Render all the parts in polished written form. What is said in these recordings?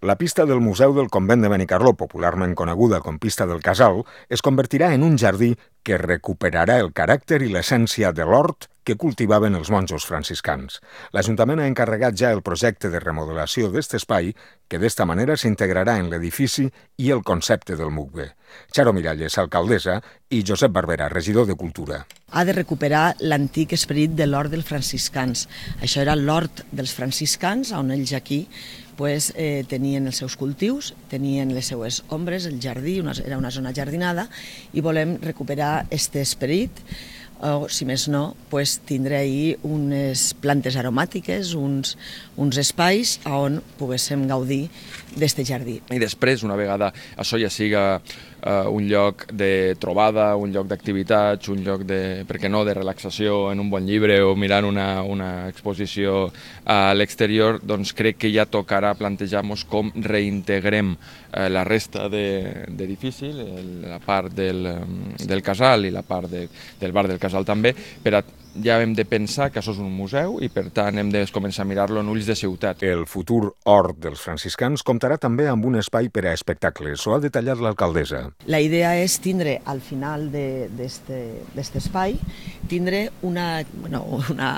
La pista del Museu del Convent de Benicarló, popularment coneguda com Pista del Casal, es convertirà en un jardí que recuperarà el caràcter i l'essència de l'hort que cultivaven els monjos franciscans. L'Ajuntament ha encarregat ja el projecte de remodelació d'aquest espai, que d'esta manera s'integrarà en l'edifici i el concepte del MUCBE. Charo Miralles, alcaldessa, i Josep Barbera, regidor de Cultura. Ha de recuperar l'antic esperit de l'hort dels franciscans. Això era l'hort dels franciscans, on ells aquí tenien els seus cultius, tenien les seues ombres, el jardí, era una zona jardinada, i volem recuperar aquest esperit, o, si més no, tindre ahir unes plantes aromàtiques, uns espais on poguéssim gaudir d'aquest jardí. I després, una vegada això ja siga un lloc de trobada, un lloc d'activitats, un lloc de, per què no, de relaxació en un bon llibre o mirant una exposició a l'exterior, doncs crec que ja tocarà plantejar-nos com reintegrem la resta d'edifici, la part del casal i la part del bar del casal també, per a ja hem de pensar que això és un museu i per tant hem de començar a mirar-lo en ulls de ciutat. El futur hort dels franciscans comptarà també amb un espai per a espectacles, ho ha detallat l'alcaldessa. La idea és tindre al final d'aquest espai tindre una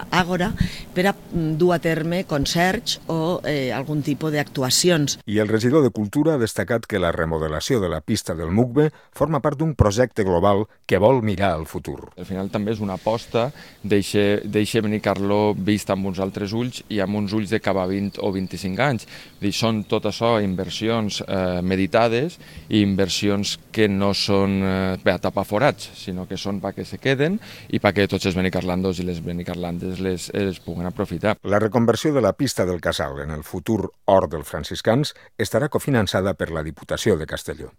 àgora per a dur a terme concerts o algun tipus d'actuacions. I el regidor de Cultura ha destacat que la remodelació de la pista del MUCBE forma part d'un projecte global que vol mirar al futur. Al final també és una aposta deixa Benicarló vist amb uns altres ulls i amb uns ulls de cap a 20 o 25 anys. Són tot això inversions meditades i inversions que no són per a tapar forats, sinó que són perquè se queden i perquè tots els benicarlandos i les benicarlandes les puguen aprofitar. La reconversió de la pista del Casal en el futur hort dels franciscans estarà cofinançada per la Diputació de Castelló.